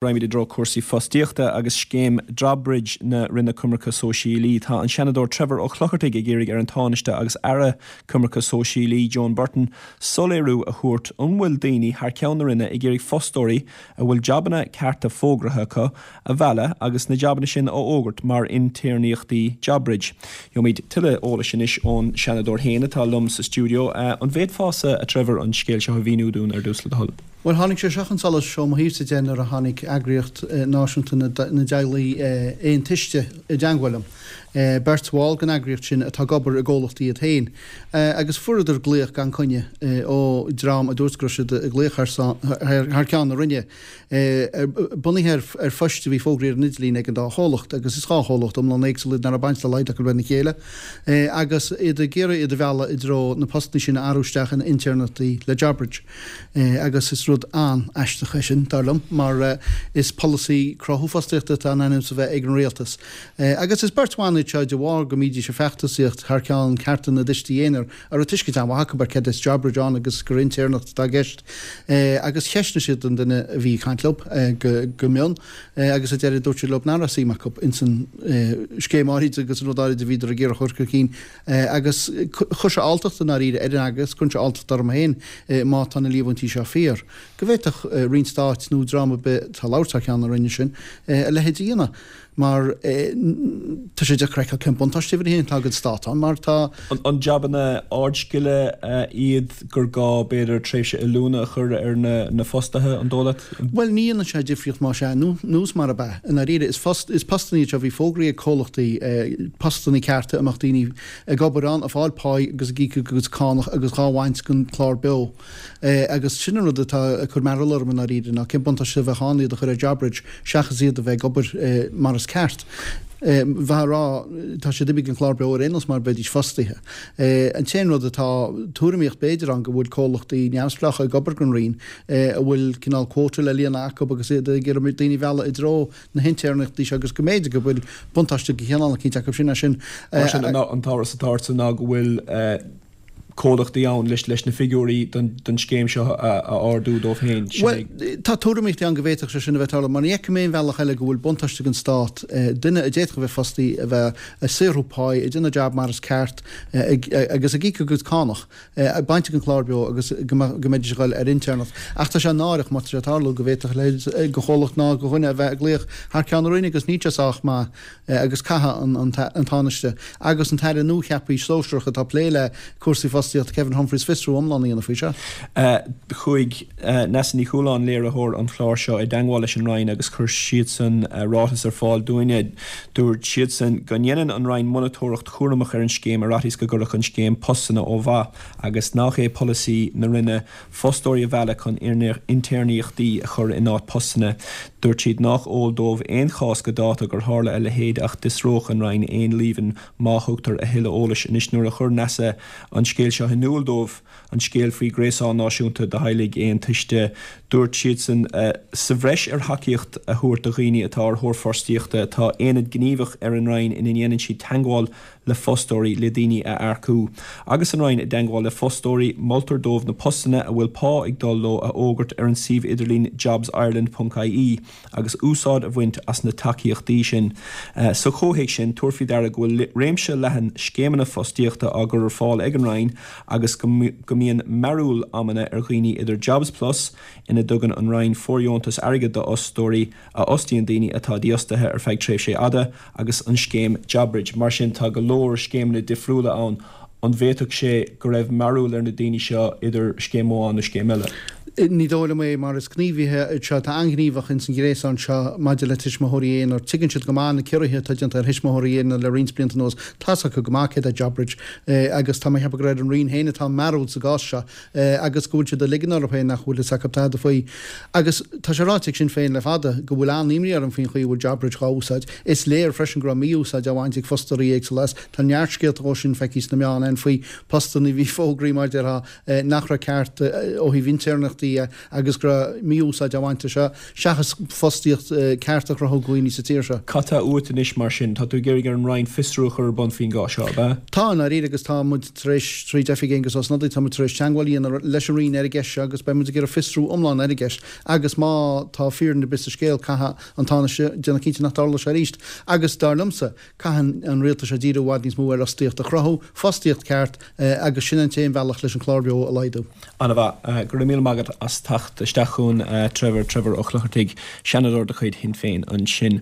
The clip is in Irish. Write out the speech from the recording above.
Raghaimid i dtreo cúrsaí fostaíochta agus scéim JobBridge na Roinne Coimirce Sóisialaí. Tá an Seanadóir Trevor Ó Clochartaigh ag iarraidh ar an Tánaiste agus Aire Coimirce Sóisialaí Joan Burton soiléiriú a thabhairt an bhfuil daoine thar ceann na Roinne ag iarraidh fostóirí a bhfuil jabanna cearta fógraithe acu a mhealladh agus na jabanna sin a fhógairt mar intéirneachtaí JobBridge. Gheobhaimid tuilleadh eolais anois ón Seanadóir féin atá liom sa stiúideo. An bhféadfása, a Trevor, an scéal seo a mhíniú dúinn ar dtús le do thoil? Bhuel, tháinig sé seo chun solais ó mo thaobhsa de nuair a tháinig Eagraíocht Náisiúnta na dTeaghlaigh Aon Tuiste i dteangmháil liom. Beirt bhall den eagraíocht sin atá ag obair i gcomhlachtaí iad féin. Agus fuaireadar glaoch gan coinne ó dhream a dúirt go raibh siad ag glaoch thar ceann na Roinne. Bunaithe ar phoist a bhí fógraithe ar an idirlíon ag an dá chomhlacht, agus is dá chomhlacht iomlán éagsúil iad nach raibh baint dá laghad acu lena chéile, agus iad ag iarraidh iad a mhealladh i dtreo na postanna sin a athrú isteach ina intéirneachtaí le JobBridge. Agus is rud an-aisteach é sin, dar liom, mar is polasaí cruthú fostaíochta atá in ainm is a bheith ag an rialtas. Agus is beirt bhan iad seo de bharr go mbídís ag feachtasaíocht thar ceann cearta na dtuistí aonair, a raibh tuiscint an-mhaith acu ar céard is JobBridge ann agus gur intéirneacht atá i gceist. Agus cheistnigh siad an duine a bhí ag caint leo go mion agus ar deireadh dúirt siad leo nach raibh suim acu ins an scéim áirid agus an rud áirid a bhíodar ag iarraidh a chur chun cinn. Agus chuir sé alltacht i ndáiríre ar an eagras, cuireann sé alltacht orm féin má tá na líomhaintí seo fíor, go bhféadfadh Roinn Stáit nó dream ar bith atá ag labhairt thar ceann na Roinne sin a leithéid a dhéanamh. Mar tá sé deacair a fheiceáil cén buntáiste uimhir a haon atá don stát ann mar tá. An jabanna ardscile iad gur gá b'fhéidir tréimhse oiliúna a chur ar na fostaithe, an dóigh leat? Bhuel ní dhéanann sé difríocht más ea nó is marab ea. I ndáiríre is post, is postanna iad seo a bhí fógraithe ag comhlachtaí, postanna cearta a mbeadh daoine ag obair ann, ag fáil páí agus ag íoc a gcuid cánach agus dhá bhaint den chlár beo. Agus sin an rud atá ag cur mearbhall orm i ndáiríre, ná cén buntáiste a bheadh ann iad a chur ar JobBridge seachas iad a bheith ag obair mar is ceart. Bheifeá ag rá, tá siad imithe den chlár beo ar aon nós mar bheidís fostaithe. An t-aon rud atá tuairimíocht b'fhéidir ann go bhfuil comhlachtaí neamhspleácha ag obair don Roinn a bhfuil cineál quota le líonadh acu agus iad ag iarraidh daoine a mhealladh i dtreo na hintéirneachtaí seo agus go mb'fhéidir go bhfuil buntáiste de chineál eicínt acu sin as sin. Mar sin, an t-amhras atá ortsa ná go bhfuil comhlachtaí ann leis leis na figiúirí don scéim seo a ardú dóibh féin. Sin é. Bhuel, tá tuairimíochtaí ann go bhféadfadh sé sin a bheith ag tarlú, mar ní fheicim aon bhealach eile go bhfuil buntáiste don Stát duine a d'fhéadfadh a bheith fostaithe a bheith ag saothrú páí, ag déanamh jab mar is ceart agus ag íoc a gcuid cánach, bainte den chlár beo agus go mbeidís ag dul ar intéirneacht. Ach tá sé náireach má tá sé ag tarlú go bhféadfadh a leithéid de chomhlacht ná de dhuine a bheith ag glaoch thar ceann na Roinne agus níl sé sách maith. agus caithfidh an Tánaiste agus an tAire nuacheaptha sóisearach atá ag plé le cúrsaí fostaíochta, Kevin Humphreys, fiosrú iomlán a dhéanamh faoi seo. Chuaigh Neasa Ní Chualáin, léiritheoir an chláir seo, i dteangmháil leis an Roinn agus chuir siadsan ráiteas ar fáil dúinne. Dúirt siadsan go ndéanann an Roinn monatóireacht chúramach ar an scéim ar fhaitíos go gcuirfeadh an scéim postanna ó mhaith agus nach é polasaí na Roinne fostóirí a mhealladh chun intéirneachtaí a chur in áit postanna. Dúirt siad nách eol dóibh aon chás go dáta gur tharla a leithéid ach d'fhiosródh an Roinn aon líomhain má thugtar a thuilleadh eolais. Anois nuair a chuir Neasa an scéal seo in iúl dóibh, an scéal faoi Ghréasán Náisiúnta do Theaghlaigh Aon Tuiste, dúirt siadsan, Sa bhreis ar thacaíocht a thabhairt do dhaoine atá ar thóir fostaíochta, tá aonad gníomhach ar an Roinn ina ndéanann siad teagmháil le fostóirí le daoine a earcú. Agus an Roinn i dteagmháil le fostóirí, moltar dóibh na postanna a bhfuil pá ag dul leo a fhógairt ar an suíomh idirlín jobsireland.ie agus úsáid a bhaint as na tacaíochtaí sin. Sa chomhthéacs sin, tabhair faoi deara go bhfuil réimse leathan scéimeanna fostaíochta á gcur ar fáil ag an Roinn agus go mbíonn mearúil amanna ar dhaoine idir Jobsplus, ina dtugann an Roinn fóirdheontas airgid d'fhostóirí a fhostaíonn daoine atá dífhostaithe ar feadh tréimhsí fhada, agus an scéim JobBridge. Mar sin, tá go leor scéimeanna difriúla ann. An bhféadfadh sé go raibh mearúil ar na daoine seo idir scéim amháin nó scéim eile? Ní dóigh liom é, mar is gníomhaithe iad seo atá an-ghníomhach ins an ghréasán seo maidir le tuismitheoirí aonair. Tuigeann siad go maith na ciorruithe atá déanta ar thuismitheoirí aonair le roinnt blianta anuas. Tá's acu go maith céard é JobBridge agus tá mé ag ceapadh gur ar an Roinn féin atá an mearúil sa gcás seo. agus go bhfuil siad ag ligean orthu féin nach bhfuil fhios acu tada faoi. Agus tá sé ráite ag Sinn Féin le fada go bhfuil an-imní orm faoin chaoi a bhfuil JobBridge dhá úsáid. Is léir freisin go raibh mí-úsáid á bhaint ag fostóirí éagsúla as. Tá neart scéalta dhó sin feicthe sna meáin ann faoi postanna a bhí fógraithe mar déarfá nach raibh ceart ó thaobh intéirneachtaí. comhlachtaí é agus go raibh mí-úsáid á bhaint as seo seachas fostaíocht ceart a chruthú do dhaoine sa tír seo. Cad tá uait anois mar sin? Tá tú ag iarraidh ar an Roinn fiosrú a chur ar bun faoin gcás seo, ab ea? Tá, i ndáiríre, agus tá muid tar éis, tríd oifig Aengus Ó Snodaigh, tá muid tar éis teagmháil a dhéanamh leis an Roinn ar an gceist seo agus beidh muid ag iarraidh fiosrú iomlán ar an gceist agus má tá fírinne ar bith sa scéal, caithfidh an Tánaiste déanamh cinnte nach dtarlóidh sé arís. Agus dar liomsa, Caitheann an rialtas seo díriú i bhfad níos mó ar fhostaíocht a chruthú, fostaíocht ceart, agus sin an t-aon bhealach leis an clár beo a laghdú. An-mhaith. Go raibh míle maith agat as teacht isteach chugainn, Trevor, Trevor Ó Clochartaigh, Seanadóir de chuid Shinn Féin ansin.